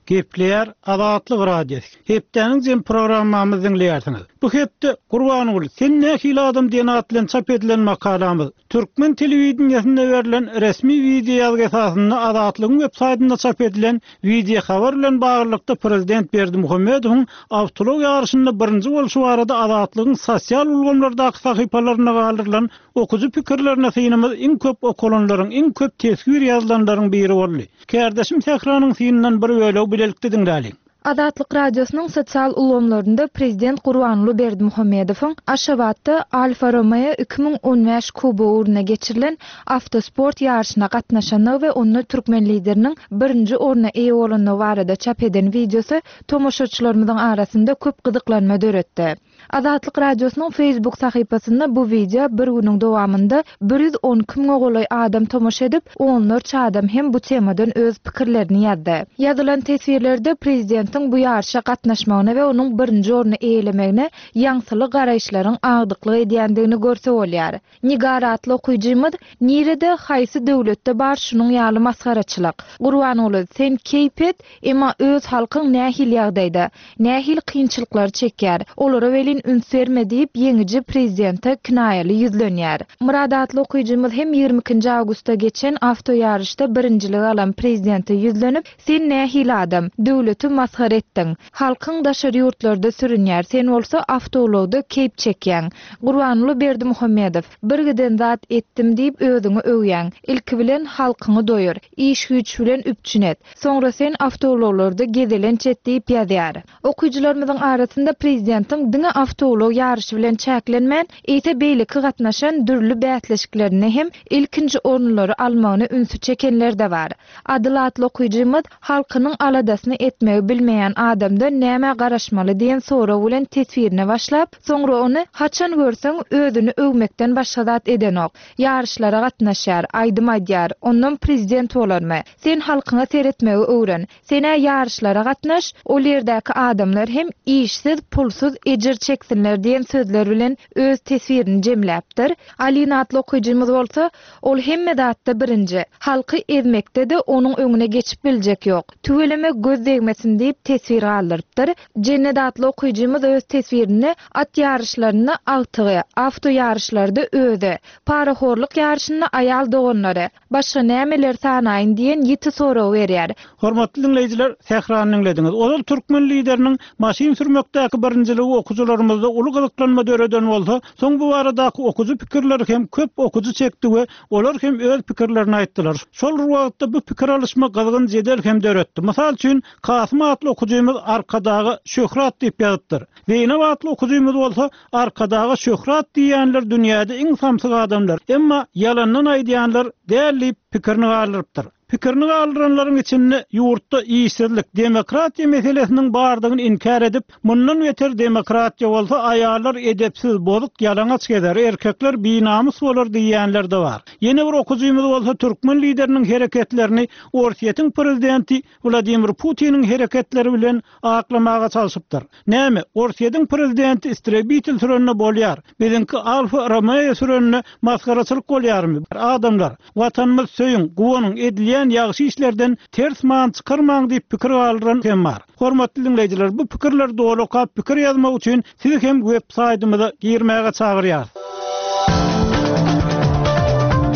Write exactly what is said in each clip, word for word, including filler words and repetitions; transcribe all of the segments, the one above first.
Gepleýär Azatlyk Radiosy. Hepdäniň jem programmamyzy diňleýärsiňiz. Bu hepde Gurbanguly sen nähili adam diýen at bilen çap edilen makalamyz Türkmen telewideniýesinde berlen resmi wideo ýazgy esasynda Azatlygyň web saýtynda çap edilen wideo habar bilen baglylykda prezident Berdimuhamedowyň awtoulag ýaryşynda birinji bolşy barada Azatlygyň sosial ulgamlardaky sahypalarynda galdyrylan okujy pikirlerine synymyz iň köp okalanlaryň, iň köp teswir ýazylanlaryň biri boldy. Kärdeşim Sähranyň synyndan bir bölegi bilelikde diňläliň. Azatlyk Radiosynyň sosial ulgamlarynda prezident Gurbanguly Berdimuhamedowyň Aşgabatda Alfa Romeo iki müň on bäş kubogy ugruna geçirilen awtosport ýaryşyna gatnaşandygy we onda türkmen lideriniň birinji orna eýe bolandygy barada çap eden wideosy tomaşaçylarymyzyň arasynda köp gyzyklanma döretdi. Azatlyk Radiosynyň Facebook sahypasynda bu wideo bir günüň dowamynda bir ýüz on iki müňe golaý adam tomaşa edip, onlarça adam hem bu temadan öz pikirlerini ýazdy. Ýazylan teswirlerde prezidentiň bu ýaryşa gatnaşmagyna we onuň birinji orny eýelemegine ýaňsyly garaýyşlaryň agdyklyk edýändigini görse bolýar. Nigar atly okyjymyz, nirede haýsy döwletde bar şunuň ýaly masgaraçylyk? Gurbanguly, sen keýp et, emma öz halkyň nähili ýagdaýda, nähili kynçylyklary çekýär? Olara welin üns berme diýip ýeňiji prezidente kinaýaly ýüzlenýär. Murad atly okyjymyz hem ýigrimi ikinji awgustda geçen awto ýaryşda birinjilik alan prezidente ýüzlenip, sen nähili adam, döwleti masgara etdiň. Halkyň daşary ýurtlarda sürünýär, sen bolsa awtoulagda keýp çekýäň. Gurbanguly Berdimuhamedow, bir giden zat etdim diýip özüňi öwýäň. Ilki bilen halkyňy doýur, iş güýç bilen üpjün et. Soňra sen awtoulaglarda gezelenç et diýip ýazýar. Okyjylarymyzyň arasynda prezidentiň diňe awtoulag ýaryşy bilen çäklenmän, eýse beýleki gatnaşan dürli bäsleşiklerinde hem ilkinji orunlary almagyny ünsi çekenler de bar. Adyl atly okyjymyz halkynyň aladasyny etmegi bilmeýän adamdan näme garaşmaly diýen sorag bilen teswirine başlap, soňra ony haçan görseň özüni öwmekden başga zat edenok. Ýaryşlara gatnaşýar, aýdym aýdýar, ondan prezident bolarmy? Sen halkyňa seretmegi öwren. Sen-ä ýaryşlara gatnaş, ol ýerdäki adamlar hem işsiz, pulsuz ejir çeksinler diýen sözler bilen öz teswirini jemläpdir. Alina atly okyjymyz bolsa, ol hemme zatda birinji. Halky ezmekde de onuň öňüne geçip biljek ýok. Tüweleme göz degmesin diýip teswir galdyrypdyr. Jennet atly okyjymyz öz teswirinde at ýaryşlarynda agtygy, awto ýaryşlarda özi, parahorluk ýaryşynda aýal doganlary, başga nämeler sanaýyn diýen ýiti sorag berýär. Hormatly diňleýjiler, Sährany diňlediňiz. Ozal türkmen lideriniň maşyn sürmekdäki birinjiligi okyjylarymyzda uly gyzyklanma döreden bolsa, soň bu baradaky okyjy pikirleri hem köp okyjy çekdi we olar hem öz pikirlerini aýtdylar. Şol bir wagtda bu pikir alyşma gyzgyn jedel hem döretdi. Mysal üçin, Kasym atly okyjymyz Arkadaga şöhrat diýip ýazypdyr. Zeynep atly okyjymyz bolsa Arkadaga şöhrat diýenler dünýäde iň samsyk adamlar. Emma ýalandan aýdýanlar däl diýip pikirini galdyrypdyr. Pikirini galdyranlaryň içinde ýurtda işsizlik, demokratiýa meselesiniň bardygyny inkär edip, mundan beter demokratiýa bolsa aýallar edepsiz, bozuk, ýalaňaç gezer, erkekler binamys bolar diýenler de bar. Ýene bir okyjymyz bolsa türkmen lideriniň hereketlerini Orsýetiň prezidenti Wladimir Putiniň hereketleri bilen aklamaga çalşypdyr. Näme, Orsýetiň prezidenti istrebitel sürende bolýar, biziňki Alfa Romeo sürende masgaraçylyk bolýarmy? Adamlar, watanymyz söýüň, guwanyň edilýän ýagşy işlerden ters man çykarmaň diýip pikir galdyran hem bar. Hormatly diňleýjiler, bu pikirleri doly okap pikir ýazmak üçin sizi hem web saýtymyza girmäge çagyrýarys.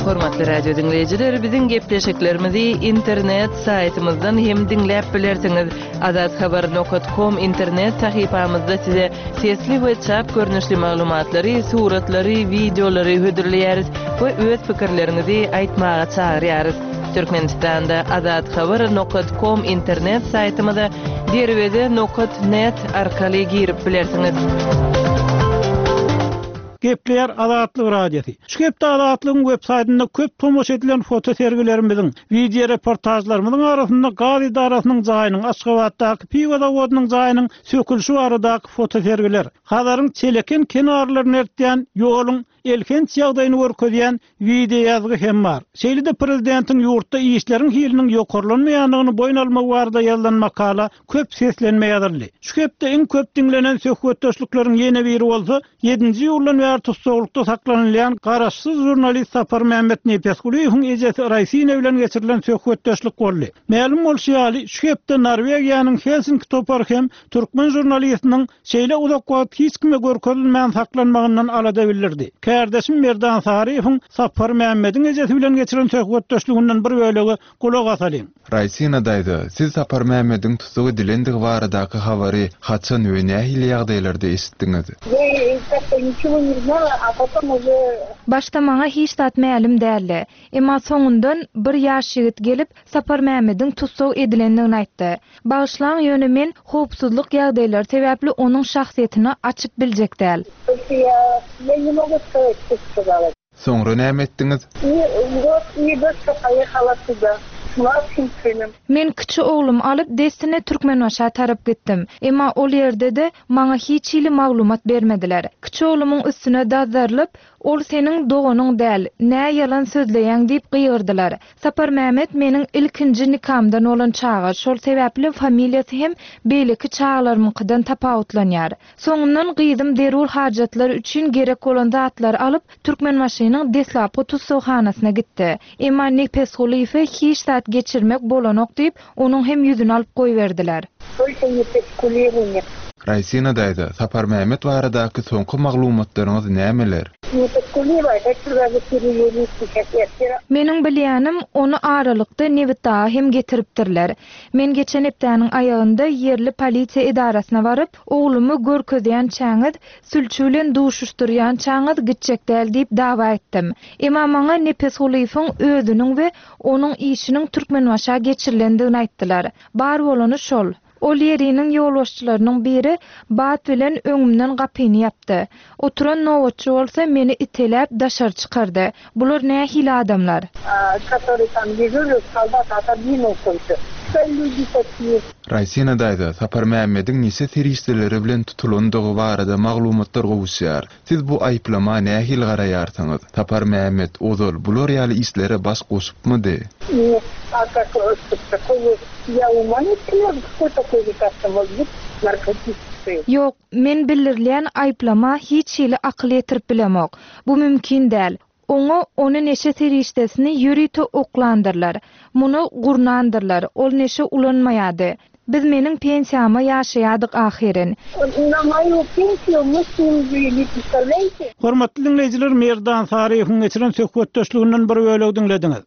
Hormatly radio diňleýjiler, biziň gepleşiklerimizi internet saýtymyzdan hem diňläp bilersiňiz. Azathabar nokta com internet sahypamyzda size sesli we çap görnüşli maglumatlary, suratlary, wideolary hödürleýäris we öz pikirleriňizi aýtmaga çagyrýarys. Türkmenistanda azathabar nokta com internet saýtymyza derweze nokta net arkaly girip bilersiňiz. Gepleýär Azatlyk Radiosy. Şu hepde Azatlygyň web saýtynda köp tomaşa edilen foto sergilerimiziň, wideo reportajlarymyzyň arasynda gaz edarasynyň jaýynyň, Aşgabatdaky piwo zawodynyň jaýynyň sökülişi baradaky foto sergiler, Hazaryň Çeleken kenarlaryny ertýän ýoluň elhenç ýagdaýyny görkezýän wideo ýazgy hem bar. Şeýle-de prezidentiň ýurtda işleriň hiliniň ýokarlanmaýandygyny boýun almagy barada ýazylan makala köp seslenme ýazyldy. Şu hepde iň köp diňlenen söhbetdeşlikleriň ýene biri bolsa, ýedinji ýyldan bäri tussaglykda saklanylýan garaşsyz žurnalist Saparmämmet Nepesgulyýewiň ejesi Raýsina bilen geçirilen söhbetdeşlik boldy. Mälim bolşy ýaly, şu hepde Norwegiýanyň Helsinki topary hem türkmen žurnalistiniň şeýle uzak wagt hiç kime görkezilmän saklanmagyndan alada bildirdi. Kardeşim Merdan Saryýewiň Saparmämmediň ejesi bilen geçiren söhbetdeşliginden bir bölegi gulak asalyň. Raýsina daýza, siz Saparmämmediň tussag edilendigi baradaky habary haçan we nähili ýagdaýlarda eşitdiňiz? Я как-то ничего не знала, а потом уже Başda maňa hiç zat mälim däldi. Emma soňundan bir ýaş ýigit gelip Saparmämmediň tussag edilendigini aýtdy. Bagyşlaň, ýöne men howpsuzlyk ýagdaýlary sebäpli onuň şahsyýetini açyp biljek däl. Только я, я не могу сказать, что сказала. Soňra näme etdiňiz? И вот, и дочка поехала туда с младшим сыном. Men kiçi oglumy alyp dessine Türkmenbaşa tarap gitdim. Emma ol ýerde-de maňa hiç hili maglumat bermediler. Kiçi oglumyň üstüne dazarlyp, ol seniň doganyň däl, nä ýalan sözleýäň diýip gygyrdylar. Saparmämmet meniň ilkinji nikamdan bolan çaga, şol sebäpli familiýasy hem beýleki çagalarymyňkydan tapawutlanýar. Soňundan gyzym zerur hajatlar üçin gerek bolan zatlary alyp Türkmenbaşynyň deslapky tussaghanasyna gitdi. Emma Nepesgulyýewe hiç zat geçirmek bolanok diýip, onuň hem ýüzüni alyp goýberdiler. Только Nepesgulyýewu нет. Raýsina daýza, Saparmämmet baradaky soňky maglumatlaryňyz nämeler? Nepesgulyýewa это сразу перевели сейчас. Я вчера Meniň bilýänim ony aralykda Nebitdaga hem getiripdirler. Men geçen hepdäniň aýagynda ýerli polisiýa edarasyna baryp, oglumy görkezýänçäňiz, sülçi bilen duşuşdyrýançaňyz gitjek däl diýip dawa etdim. Emma maňa Nepesgulyýewiň özüniň we onuň işiniň Türkmenbaşa geçirilendigini aýtdylar. Bar bolany şol. Ol ýeriniň ýolbaşçylarynyň biri bat bilen öňümden gapyny ýapdy. Oturan nobatçy bolsa meni iteläp daşary çykardy. Bular nähili adamlar? а, который там дежурил, солдат отодвинул только. Что люди такие? Raýsina daýza, Saparmämmediň neşe serişdeleri bilen tutulandygy barada maglumatlar gowuşýar. Siz bu aýyplama nähili garaýarsyňyz? Saparmämmet ozal bular ýaly işlere baş goşupmydy? Нет, а как, э, что такое, я ума не приложу, какой такой лекарство может быть наркотическое? Ýok, men bildirilýän aýyplama hiç hili akyl ýetirip bilemok. Bu mümkin däl. Oňa ony neşe serişdesini ýörite oklandyrlar. Muny gurnandyrlar. Ol neşe ulanmaýady. Biz meniň pensiýama ýaşaýadyk ahyrin. На мою пенсию мы с ним жили, представляете? Hormatly diňleýjiler, Merdan Saryýewiň geçiren söhbetdeşliginden bir bölegi diňlediňiz.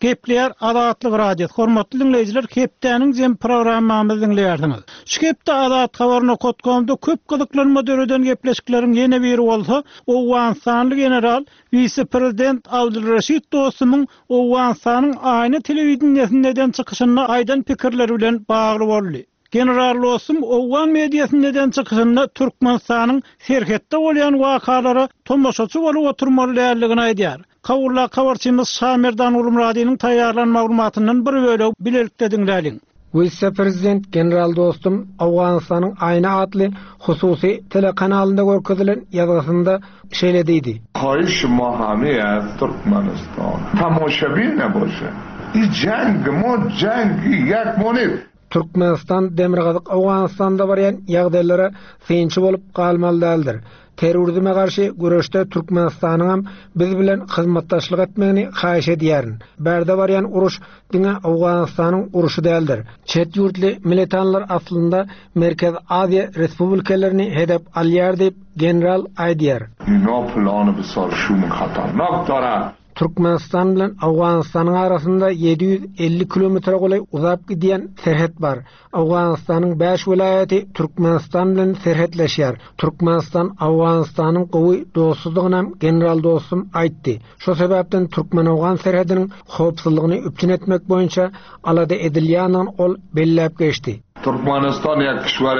Gepleýär Azatlyk Radiosy. Hormatly diňleýjiler, hepdäniň jem programmamyzy diňleýärsiňiz. Şu hepde Azat Habar nokta komda köp gyzyklanma döreden gepleşikleriň ýene biri bolsa, Owganystanly general wise-prezident Abdulraşid Dostumyň Owganystanyň aýna telewideniýesinde eden çykyşynda aýdan pikirleri bilen bagly boldy. General Dostum Owgan mediasynda eden çykyşynda Türkmenistanyň serhetde bolýan wakalara tomaşaçy bolup oturmaly däldigini aýdýar. Kawulla habarçymyz Şamerdan Ulumradynyň taýýarlan maglumatyndan bir bölegi bilelikde diňläliň. Wise-prezident General Dostum Owganystanyň Aýna atly hususy telekanalynda görkezilen ýazgysynda şeýle diýdi. خواهش ما همه از ترکمنستان تماشابین نباشه این جنگ ما جنگ یک ما نیست Türkmenistan Demirgazyk Owganystanda barýan ýagdaýlara synçy bolup galmaly däldir. Terrorizme garşy göreşde Türkmenistanyň hem biz bilen hyzmatdaşlyk etmegini haýyş edýärin. Bärde barýan uruş diňe Owganystanyň uruşy däldir. Çet ýurtly militanlar aslynda Merkez Aziýa Respublikalaryny hedef alýar diýip general aýdýar. اینا پلان بسیار شوم خطرناک دارن Türkmenistan bilen Owganystanyň arasynda ýedi ýüz elli kilometre golaý uzap gidýän serhet bar. Owganystanyň bäş welaýaty Türkmenistan bilen serhetleşýär. Türkmenistan Owganystanyň gowy dostlugyny hem general dostum aýtdy. Şo sebäpden Türkmen-Owgan serhediniň howpsuzlygyny üpjün etmek boýunça alada edilýändigini ol belläp geçdi. ترکمنستان یک کشور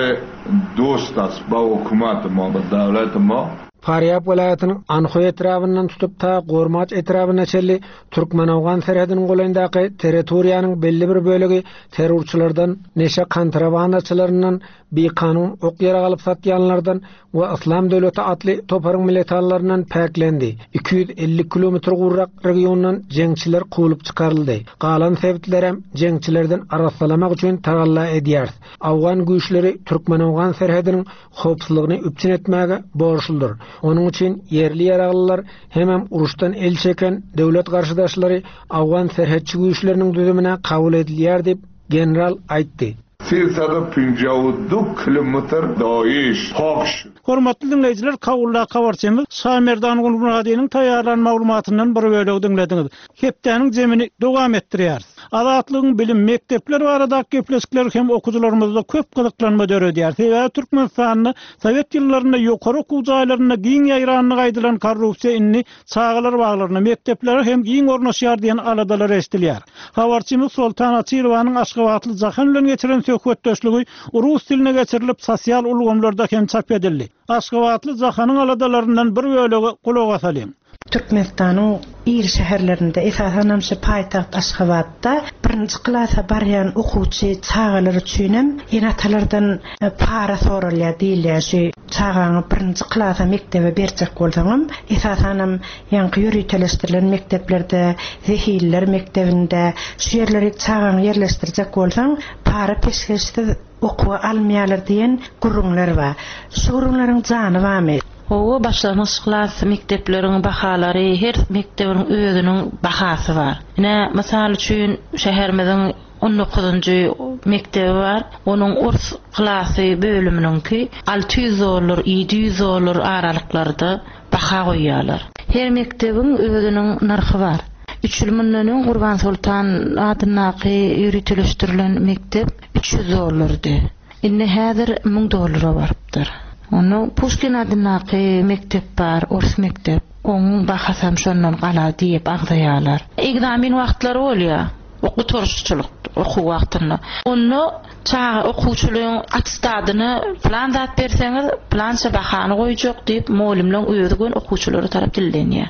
دوست است با حکومت ما با دولت ما. Farýab welaýatynyň Anhoý etrabyndan tutup ta Gormaç etrabyna çenli Türkmen-Awgan serhediniň golaýyndaky territoriýanyň belli bir bölegi terrorçylardan, neşe kontrabandaçylaryndan, bikanun ok ýarag alyp satýanlardan we Yslam döwleti atly toparyň militanlaryndan päklendi. iki ýüz elli kilometr gurrak regiondan jeňçiler kowlup çykaryldy. Galan sebitlerem jeňçilerden arassalamak üçin tagalla edýär. Awgan güýçleri Türkmen-Awgan serhediniň howpsuzlygyny üpjün etmäge borçludyr. Onuň üçin ýerli ýaraglylar hemem uruşdan el çeken döwlet garşydaşlary Awgan serhetçi güýçleriniň düzümine kabul edilýär diýip general aýtdy. سیصد پنجاه و دو kilometr داعش پاک شد. Hormatly diňleýjiler, Kabulda habarçymyz Şamerdan Gulmuradynyň taýýarlan maglumatyndan bir bölegi diňlediňiz. Hepdäniň jemini dowam etdirýär. Azatlygyň bilim mekdepler barada gepleşikler hem okuwçylarymyzda köp gyzyklanma döredýär. Sebäbi Türkmenistanda Sowet ýyllarynda ýokary okuw jaýlarynda giň ýaýranlygy aýdylan korrupsiýa indi çagalar baglaryna, mekdeplere hem giň ornaşýar diýen aladalar eşidilýär. Habarçymyz Soltan Açylowanyň Aşgabatly Jahan bilen geçiren söhbetdeşligi rus diline geçirilip sosial ulgamlarda hem çap edildi. Aşgabatly Jahanyň aladalaryndan bir bölegi gulak asalyň. Türkmenistanyň iri şäherlerinde, esasan şu paýtagt Aşgabatda birinji klasa barýan okuwçy çagalar üçin hem ene-atalardan para soralýar diýilýär. Şu çagaňy birinji klasa mekdebe berjek bolsaňam, esasan hem ýaňky ýöriteleşdirilen mekdeplerde, zehiller mekdebinde şu ýerlere çagaňy ýerleşdirjek bolsaň, para peşgeşsiz okuwa almaýarlar diýen gürrüňler bar. Şu gürrüňleriň jany barmy? Owa, başlangyç klas mekdepleriň bahalary her mekdebiň özüniň bahasy bar. Ine, mysal üçin şäherimiziň on dokuzunjy mekdebi bar. Onuň ors klasy bölüminiňki alty ýüz dollar, ýedi ýüz dollar aralyklarda baha goýýarlar. Her mekdebiň özüniň nyrhy bar. Üç ýyl mundan öň Gurban Sultan adyndaky ýöriteleşdirilen mekdep üç ýüz dollardy. Indi häzir müň dollara barypdyr. Onuň Puşkin adyndaky mekdep bar, ors mekdep. Onuň bahasy hem şondan gala diýip agzaýarlar. Egzamin wagtlary bolýar. Okuw okuw wagtynda. Onda çaga okuwçylaryň atestadyny plan zat berseňiz, plança bahany goýjak diýip, muallimleň özi gün okuwçylara tarap dillenýär.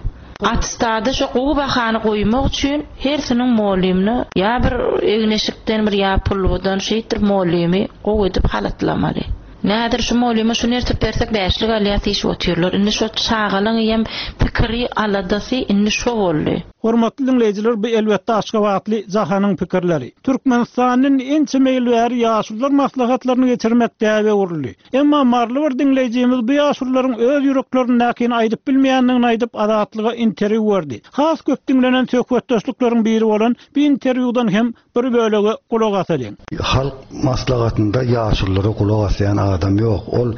Atestady şu gowy bahany goýmak üçin hersiniň muallimini ýa bir egneşikden bir ýa pulludan şeýtdir muallimi gowy edip halatlamaly. Nädir şu muallime şu nertip bersek bäşlik alýar diýip otyrlar. Indi şu çagalaryň hem pikiri aladasy indi şu boldy. Hormatly diňleýjiler, bu elbetde Aşgabatly Jahanyň pikirleri. Türkmenistanyň ençeme ýyl bäri ýaşulular maslahatlaryny geçirmek däbe uruldy. Emma marly bir diňleýjimiz bu ýaşulularyň öz ýüreklerindäkini aýdyp bilmeýändigini aýdyp Azatlyga interwýu berdi. Has köp diňlenen söhbetdeşlikleriň biri bolan bu interwýudan hem bir bölegi gulak asalyň. Halk maslahatynda ýaşululara gulak asýan adam ýok. Ol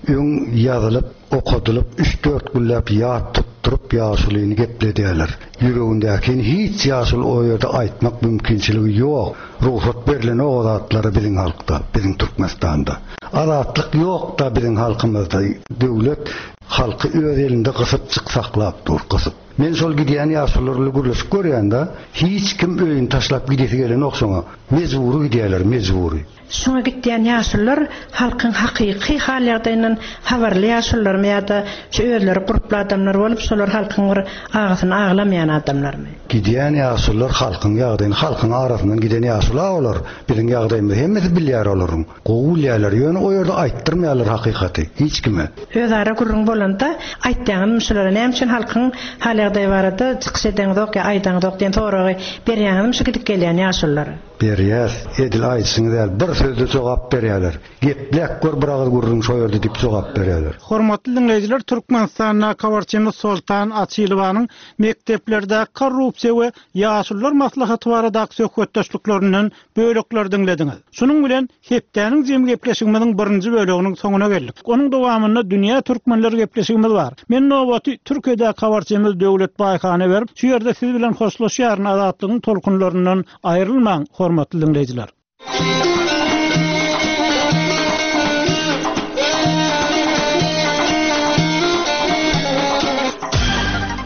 öň ýazylyp, okadylyp, üç dört günläp ýat tutduryp ýaşulyny gepledýärler. Ýüregindäkini hiç ýaşuly o ýerde aýtmak mümkinçiligi ýok. Ruhsat berlen o zatlara biziň halkda, biziň Türkmenistanda. Azatlyk ýok da biziň halkymyzda. Döwlet halky öz elinde gysyp çyksaklap dur, gysyp. Men şol gidýän ýaşulylar bilen gürleşip görýän-de, hiç kim öýüni taşlap gidesi gelenok şoňa. Mejbury gidýärler, mejbury. Şoňa gitýän ýaşulylar halkyň hakyky hal ýagdaýyndan habarly ýaşulylarmy ýa-da şu özleri gurply adamlar bolup, şolar halkyň bir agysyny aglamaýan adamlarmy? Gidýän ýaşulylar halkyň ýagdaýyny, halkyň arasyndan giden ýaşulylar olar. Biziň ýagdaýymyzy hemmesi bilýär olaryň. Gowy bilýärler, ýöne o ýerde aýtdyrmaýarlar hakykaty hiç kime. Özara gürrüň bolanda aýtýaňyzmy şulara näme üçin halkyň hal ýagdaýy barada çykyş edeňizok ýa aýdaňyzok diýen soragy berýäňizmi şu gidip gelýän ýaşulylara? Berýär, edil aýtsyňyz ýaly bir sözde jogap berýärler. Geplek gör bir agyz gürrüň şo ýerde diýip jogap berýärler. Hormatly diňleýjiler, Türkmenistanda habarçymyz Soltan Açylowanyň mekdeplerde korrupsiýa we ýaşulular maslahaty baradaky söhbetdeşliklerinden bölekler diňlediňiz. Şunuň bilen hepdäniň jem gepleşigimiziň birinji böleginiň soňuna geldik. Onuň dowamynda dünýä türkmenleri gepleşigimiz bar. Men nowaty Türkiýede habarçymyz Döwlet Baýhana berip, şu ýerde siz bilen hoşlaşýaryn. Azatlygyň tolkunlaryndan aýrylmaň, hormatly diňleýjiler.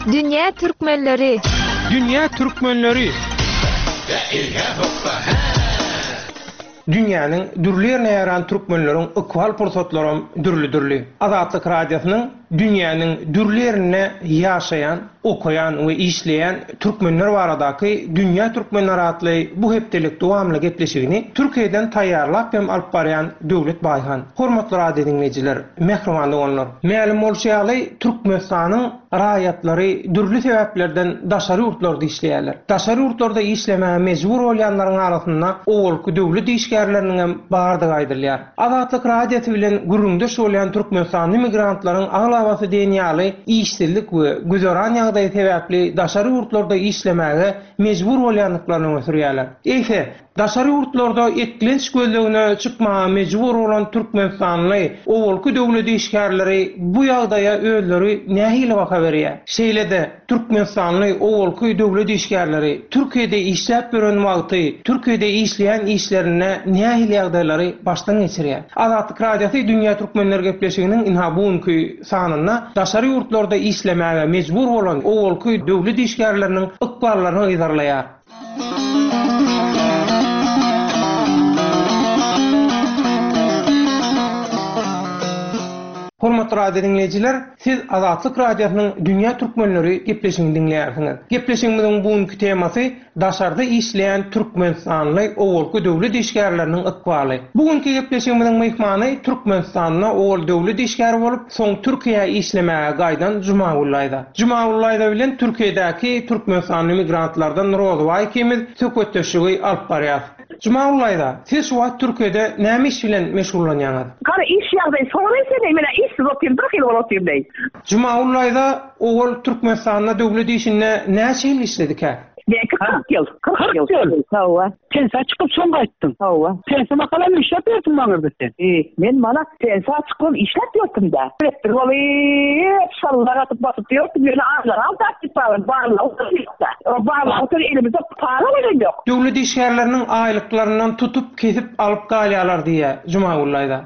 Dünýä türkmenleri. Dünýä türkmenleri. Dünýäniň dürli ýerine ýaran türkmenleriň ykbal pursatlaram dürli-dürli. Azatlyk radiosynyň Dünýäniň dürli ýerinde ýaşaýan, okaýan we işleýän türkmenler baradaky Dünýä Türkmenleri atly bu hepdelik dowamly gepleşigini Türkiýeden taýýarlap hem alyp barýan Döwlet Baýhan. Hormatly radio diňleýjiler, mähriban doganlar, mälim bolşy ýaly Türkmenistanyň raýatlary dürli sebäplerden daşary ýurtlarda işleýärler. Daşary ýurtlarda işlemäge mejbur bolýanlaryň arasynda owalky döwlet işgärleriniň hem bardygy aýdylýar. Azatlyk radiosy bilen gürrüňdeş bolýan Türkmenistanly migrantlaryň aglabasy diýen ýaly işsizlik we güzeran ýagdaýy sebäpli daşary ýurtlarda işlemäge mejbur bolýandyklaryny öňe sürýärler. Eýse, daşary ýurtlarda eklenç gözlegine çykmaga mejbur bolan Türkmenistanly owalky döwlet işgärleri bu ýagdaýa özleri nähili baha berýär? Şeýle-de Türkmenistanly owalky döwlet işgärleri Türkiýede işläp ýören wagty Türkiýede işleýän işlerinde nähili ýagdaýlary başdan geçirýär? Azatlyk radiosy Dünýä Türkmenleri gepleşiginiň inha bugünkü sanynda daşary ýurtlarda işlemäge mejbur bolan owalky döwlet işgärleriniň ykballaryny yzarlaýar. Hormatly radio dinleýjiler, siz Azatlyk radiosynyň Dünýä Türkmenleri gepleşigini diňleýärsiňiz. Gepleşigimiziň bugünkü temasy daşarda işleýän Türkmenistanly owalky döwlet işgärleriniň ykbaly. Bugünkü gepleşigimiziň myhmany Türkmenistanda owal döwlet işgäri bolup, soň Türkiýä işlemäge gaýdan Jumagül Aýda. Jumagül Aýda bilen Türkiýedäki Türkmenistanly migrantlardan Rozbaý ikimiz söhbetdeşligi alyp barýar. Jumagül Aýda, siz şu wagt Türkiýede näme iş bilen meşgullanýaňyz? Gara iş ýagdaýy soraýsana, men işsiz otyryn, bir hil bolup otyryn deý. Jumagül Aýda owal Türkmenistanda döwlet işinde näçe ýyl işledikä? Belki kyrk ýyl, kyrk ýyl. Hawa. Pensiýa çykyp soň gaýtdyň. Hawa. Pensiýa makalam işläp ýörtüň maňyrdy sen. E, men mana pensiýa çykyp işläp ýörtüm da. Direktor bolup, şallar atyp basyp ýörtüm, ýöne aýlar aldy diýip barlan, barlan oturýardy. O barlan otur elimizde para bolan ýok. Döwlet işgärleriniň aýlyklaryndan tutup, kesip alyp galýarlar diýe Jumagül Aýda.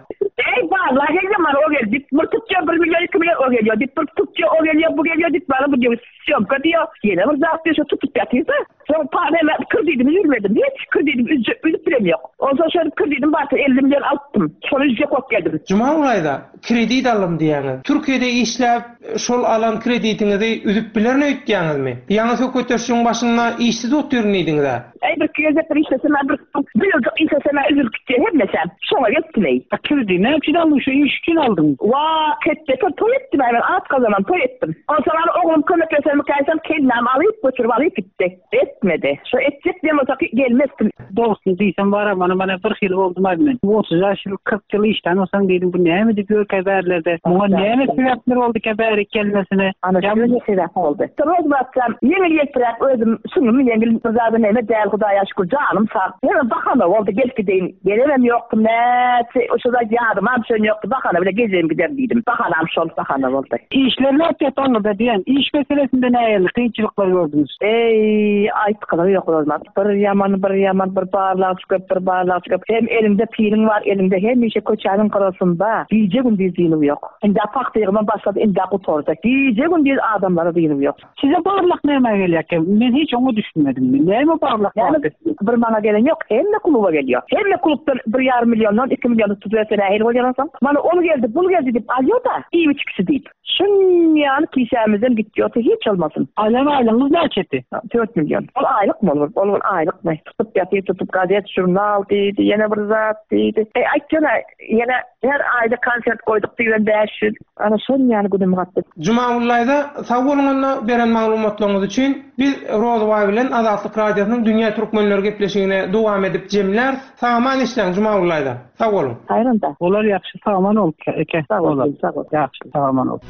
Ey barla gelýär, mana o geldi. Bir tutýar, bir milyon, iki milyon o gelýär. Dip bir tutýar, o gelýär, bu gelýär, dip bana bu diýip, syomka diýär. Ýene bir zat diýip, tutup ýatyrdy. Soň para ben kredidimi üzmedim. Hiç kredidimi üzjek, üzüp bilem ýok. Onsoň şöyle kredidim bardy, elli milyon alypdym. Şony üzjek bolup geldim. Jumagül Aýda, kredit alym diýýäňiz. Türkiýede işläp, şol alan kreditiňizi üzüp bilermi öýtýäňizmi? Ýaňy söhbetdeşligiň başynda işsiz otyryn diýdiňiz-ä. Ey bir gezek bir işlesem, bir bir ýyl işlesem üzülüp gitdi hemmesem. Şoňa gelipdim ey. A kredi näme üçin aldyň? Şu iş üçin aldyň. Wa, ketde toý etdim, ben at kazanan toý etdim. Onsoň ana oglum kömeklesem, käýsem kellam alyp götürip alyp gitdi. Etmedi. Şu etjek diýen bolsa gelmezdim. Dogrusyny diýsem bar, mana mana bir hil boldum abi men. Otuz ýaş ýyl, kyrk ýyl işlän bolsaň diýdim, bu näme diýip ýörkä bärlerde? Muňa näme sebäpler boldy ki bäri gelmesine? Ana şeýle sebäp boldy. Roz batjam, ýeňil ýelpiräk özüm süňňüm ýeňil bir zady näme däl Hudaýa şükür janym sag. Ýene bahana boldy gelip gideýin. Gelemem ýokdy, näçe o zat ýadyma düşen ýokdy. Bahana bile gezeyim gider diýdim. Bahanam şol bahana boldy. Işler nätdi aňyrda diýen, iş meselesinde nähili kynçylyklar gördüňiz? Ey, aýtgylygy ýok Rozmat. Bir ýaman, bir ýaman, bir barlag çykyp, bir barlag çykyp. Hem elinde piliň bar, elinde hemişe köçäniň gyrasynda gije gündiz diýilip ýok. Indi pakdygyma başlady, indi gutardy. Gije gündiz adamlara diýilip ýok. Size barlak näme gelýär? Men hiç oňa düşünmedim. Näme barlak bardy? Bir maňa gelen ýok, hemme kluba gelýär. Hemme klubdan bir ýarym milyondan iki milyon tutup nähili bolýar soň? Mana ol geldi, bul geldi diýip alýar da, iýip içkisi diýip. Şunýany kişämizden gitýär, hiç olmasyn. Aýlan aýlygyňyz näçedi? Dört milyon. Ol aýlykmy olur? Ol aýlykmy? Tutup ýatyp, tutup gazet, jurnal diýdi, ýene bir zat diýdi. E, aýtjana, ýene her aýda konsert goýduk diýen bäş ýüz. Ana şunýany günüm gatdy. Jumagül Aýda, sag boluň onda beren maglumatlaryňyz üçin. Biz Rozbaý bilen Azatlyk radiosynyň Dünýä Türkmenleri gepleşigine dowam edip jemler. Sag-aman işläň Jumagül Aýda. Sag boluň. Haýranda. Olar ýagşy sag-aman bolup, eke. Sag boluň, sag boluň. Ýagşy sag-aman bolup.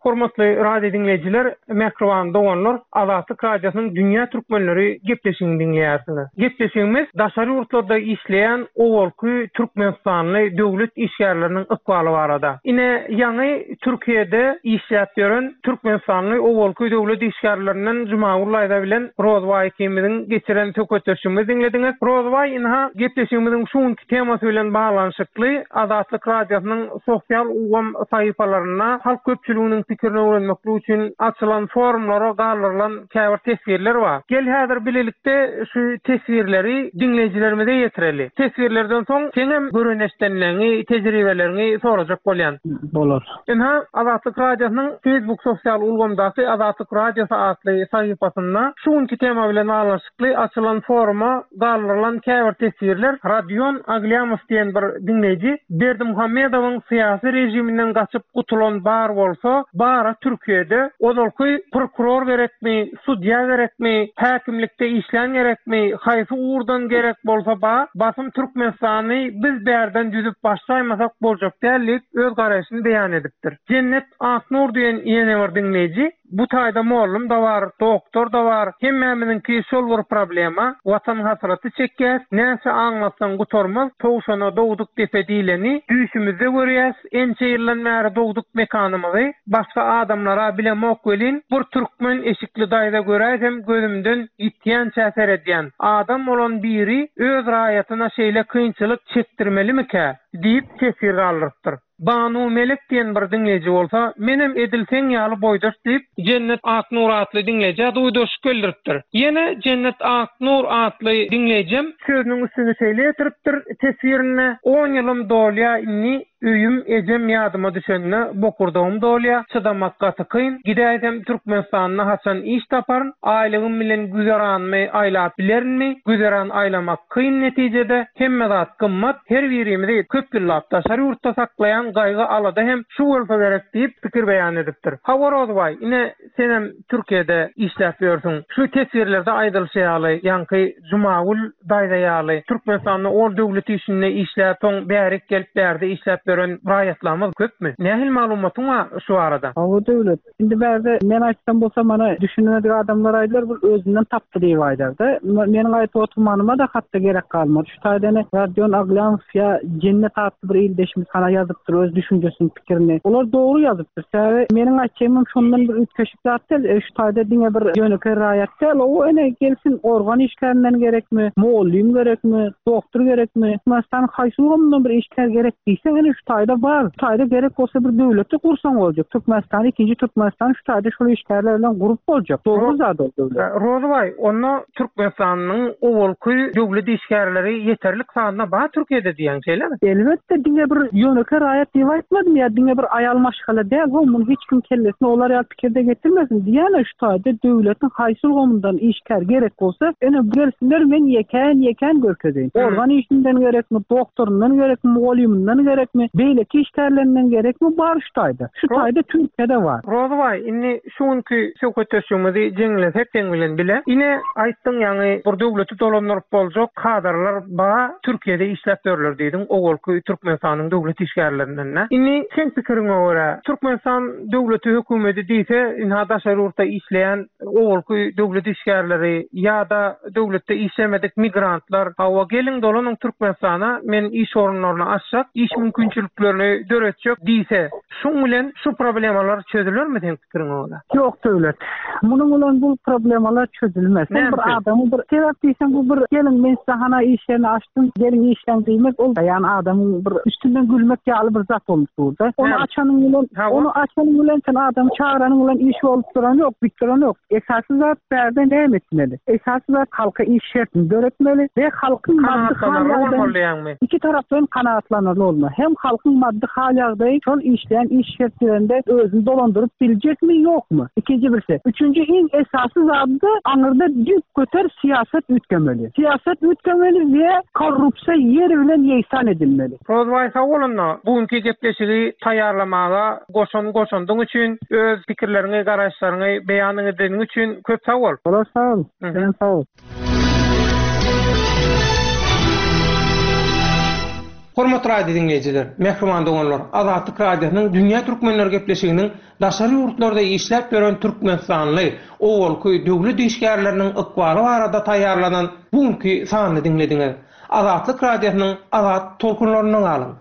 Hormatly radio dinleýjiler, mähriban doganlar, Azatlyk radiosynyň Dünýä Türkmenleri gepleşigini diňleýärsiňiz. Gepleşigimiz daşary ýurtlarda işleýän owalky Türkmenistanly döwlet işgärleriniň ykbaly barada. Ine, ýaňy Türkiýede işläp ýören Türkmenistanly owalky döwlet işgärlerinden Jumagül Aýda bilen Rozbaý ikimiziň geçiren söhbetdeşligimizi diňlediňiz. Rozbaý inha gepleşigimiziň şu günki temasy bilen baglanyşykly Azatlyk radiosynyň sosial ulgam sahypalarynda halk köpçüliginiň pikirini öwrenmeklik üçin açylan forumlara galdyrylan käbir teswirler bar. Gel häzir bilelikde şu teswirleri diňleýjilerimize ýetireli. Teswirlerden soň seňem göreneşdenleňi, tejribeleriňi sorajak bolýan. Bolar. Ynha Azatlyk Radiosynyň Facebook sosial ulgamdaky Azatlyk Radiosy atly sahypasynda şu günki tema bilen baglanyşykly açylan foruma galdyrylan käbir teswirler Radion Aglýamow diýen bir diňleýji Berdimuhamedowyň syýasy režiminden gaçyp gutulan bar bolsa, bara Türkiýede ozalky prokuror gerekmi, sudýa gerekmi, häkimlikde işlän gerekmi, haýsy ugurdan gerek bolsa ba, basym Türkmenistany biz bärden düzüp başlaýmasak boljak däl diýip öz garaýşyny beýan edipdir. Jennet Aknur diýen ýene bir diňleýji bu taýda mollum da bar, doktor da bar, hemmämiziňki şol bir problema, watan hasraty çekýäs, näçe aňlatsaň gutarmaz, towşana dogduk depe diýleni, düýşümizde görýäs, ençe ýyldan bäri dogduk mekanymyzy, başga adamlara bilemok welin, bir türkmen eşikli daýza göräýsem gözümden ýitýänçä seredýän. Adam bolan biri öz raýatyna şeýle kynçylyk çekdirmelimikä diýip teswir galdyrypdyr. Banu Melek diýen bir diňleýji bolsa, menem edil seň ýaly boýdaş diýip, Jennet Aknur atly diňleýjä duýdaş geldiripdir. Ýene Jennet Aknur atly diňleýjem sözüniň üstüni şeýle ýetiripdir teswirinde, on ýylym dolýa indi öýüm ejem ýadyma düşende bokurdagym dolýa, çydamak gaty kyn, gidäýsem Türkmenistanda haçan iş taparyn, aýlygym bilen güzeranmy aýlap bilerinmi, güzeran aýlamak kyn netijede, hemme zat gymmat, her birimizi köp ýyllap daşary ýurtda saklaýan gaýgy alada hem şu bolsa gerek diýip pikir beýan edipdir. Hawa Rozbaý, ine senem Türkiýede işläp ýörsüň. Şu teswirlerde aýdylyşy ýaly, ýaňky Jumagül daýza ýaly Türkmenistanda ol döwlet işinde işläp, soň bärik gelip bärde işläp ýören raýatlarymyz köpmi? Nähili maglumatyň bar şu arada? Hawa döwlet. Indi bärde men aýtsam bolsa mana düşünmedik adamlar aýdylar, bu özünden tapdy diýip aýdardy. Meniň aýtyp oturmanyma da hatda gerek galmady. Şu taýdan Radion Aglýamow ýa Jennet atly bir ildeşimiz hana ýazypdyr öz düşünjesini, pikirini. Olar dogry ýazypdyr. Sebäbi meniň aýtjagym şondan bir üýtgeşik zat däl. E, şu taýda diňe bir ýönekeý raýat däl, o ene gelsin organ işgärinden gerekmi, mugallym gerekmi, doktor gerekmi, Türkmenistan haýsy ulgamyndan bir işgär gerek diýseň, ene şu taýda bar. Şu taýda gerek bolsa bir döwleti gursaň boljak. Türkmenistan ikinji Türkmenistan şu taýda şol işgärler bilen gurup boljak. Dogry zat ol döwlet. Rozbaý, onda Türkmenistanyň owalky döwlet işgärleri ýeterlik sanda bar Türkiýede diýen şeýlemi? Elbetde diňe bir ýönekeý raýat diýip aýtmadym ýa diňe bir aýal maşgala däl, ho muny hiç kim kellesine olar ýaly pikirde getirmesin. Diýene şu taýda döwletiň haýsy ulgamyndan işgär gerek bolsa, ene gelsinler men ýekän ýekän görkezeýin. Organ işinden gerekmi, doktorundan gerekmi, mugallymyndan gerekmi, beýleki işgärlerinden gerekmi bar şu taýda. Şu taýda Türkiýede bar. Rozbaý, indi şu günki söhbetdeşligimizi jeňlesek seň bilen bile. Ine aýtdyň ýaňy bir döwleti dolandyryp boljak kadrlar ba Türkiýede işläp ýörler diýdiň, owalky Türkmenistanyň döwlet işgärlerinden. Indi sen pikiriňe görä Türkmenistan döwleti hökümeti diýse, inha daşary ýurtda işleýän owalky döwlet işgärleri ýa-da döwletde işlemedik migrantlar, hawa geliň dolanyň Türkmenistana, men iş orunlaryny açjak, iş mümkinçiliklerini döretjek diýse, şuň bilen şu problemalar çözülermi sen pikiriňe görä? Ýok döwlet. Munuň bilen bu problemalar çözülmez. Sen bir adamyň bir sebäp diýseň bu bir geliň men size hana iş ýerini açdym, geliň işläň diýmek ol ýani adamyň bir üstünden gülmek ýaly bir zat bolup durdy. Onu açanyň bilen, onu açanyň bilen sen adamy çagyranyň bilen iş bolup duran ýok, bitdiren ýok. Esasy zat bärde näme etmeli? Esasy zat halka iş şertini döretmeli we halkyň maddy hal ýagdaýy iki tarapdan kanaatlanarly bolmaly. Hem halkyň maddy hal ýagdaýy şol işleýän iş şertlerinde özüni dolandyryp biljekmi, ýokmy? Ikinji birisi. Üçünji iň esasy zady aňyrda düýp göter syýasat üýtgemeli. Syýasat üýtgemeli we korrupsiýa ýeri bilen ýegsan edilmeli. Rozbaý sag bolunda, bugünkü gepleşigi taýýarlamaga goşan goşandyň üçin, öz pikirleriňi, garaýyşlaryňy beýan edeniň üçin köp sag bol. Olar sag ol. Sen sag ol. Hormatly radio dinleýjiler, mähriban doganlar, Azatlyk Radiosynyň Dünýä Türkmenler gepleşiginiň daşary ýurtlarda işläp ýören Türkmenistanly owalky döwlet işgärleriniň ykbaly barada taýýarlanan bugünkü sanyny diňlediňiz. Azatlyk Radiosynyň Azat tolkunlaryndan galyň.